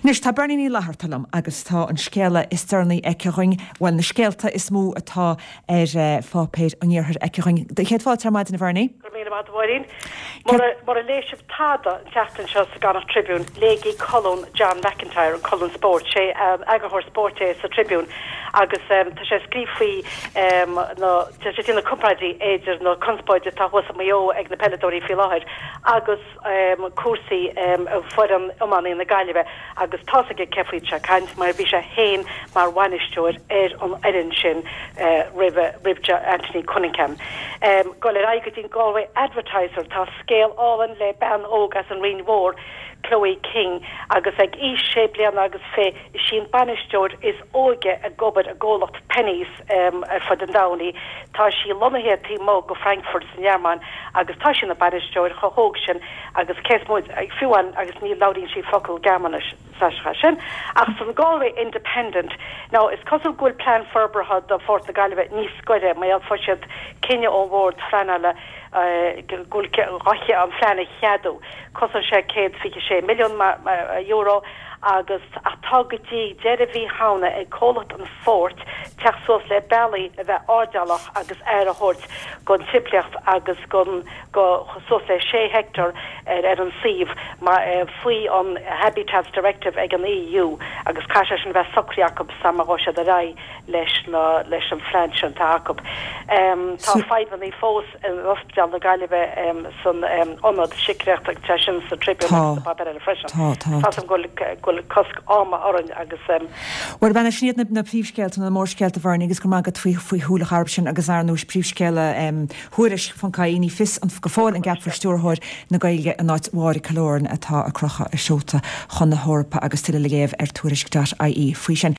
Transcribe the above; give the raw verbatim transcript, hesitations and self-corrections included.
Anois tá Bernie Ní Fhlatharta liom agus tá an scéala is deireanaí aici dhúinn, bhuel na scéalta is mó atá ar eh, pháipéir an iarthair aici dhúinn. Céad fáilte ar maidin a Bhernie? Go míle maith Mháirín. Mura léigh sibh tada an tseachtain seo sa gConnacht Tribune léigí colún John McIntyre an colún spóirt sé um, eagarthóir spóirt é sa Tribune agus um, tá sé scríobh faoi um, tá sé na comparáidí idir na conspóid atá thuas i Maigh Eo ag na peileadóirí faoi láthair agus um, cúrsaí um, foireann iomána na Gaillimhe agus tá aige cé faoi sé caint mar bhí sé féin mar bhainisteoir ar an fhoireann sin uh, roimh roimh Anthony Cunningham. Um, Go le go dtí Galway Advertiser tá scéal álainn le bean óg as an Rinn Mhór Chloe King agus ag aois sé bliana agus fiche is í an bainisteoir is óige ag obair i gcomhlacht Penneys um, ar fud an domhain. Tá sí lonnaithe taobh amuigh de Frankfurt san Ghearmáin agus tá sí ina bainisteoir chomh hóg sin agus cés fiú agus ní labhraíonn sí focal Gearmáinis sa sin. Ach san Galway Independent now is cosúil go bhfuil plean forbartha do Phort na Gaillimhe níos gaire mar fuair siad cinneadh ón bhord pleanála go bhfuil an plean a cheadú. Cosnóidh sé céad fiche sé milliún euro agus atá go dtí deireadh mhí Shamhna ag comhlacht an phoirt teacht suas le bealaí a bheith airdeallach agus aire a thabhairt don timpeallacht agus gon go suas le sé heicteár ar ar an suíomh faoi an Habitats Directive ag an EU agus caithfidh sin bheith socraithe acu sula ngabhfaidh siad ar aghaidh leis na leis an phlean sin atá acu. Um, tá fadhbanna fós in Ospidéal na Gaillimhe um, san um, ionad síciatrach tá sin sa Tribune páipéar freisin. Tá go bhfuil cosc ama orainn agus um, Well b'in iad na, na príomhscéalta na mórscéalta Bhernie agus go maith faoi faoi shúil a chur sin agus ar nós príomhscéala um, Thuairisc ponc ie ní fios an go fóill an gceapfar stiúrthóir na Gaeilge in áit Mháire Killoran atá ag crochadh a seota chun na hEorpa agus tuilleadh le léamh ar tuairisc.ie faoi sin.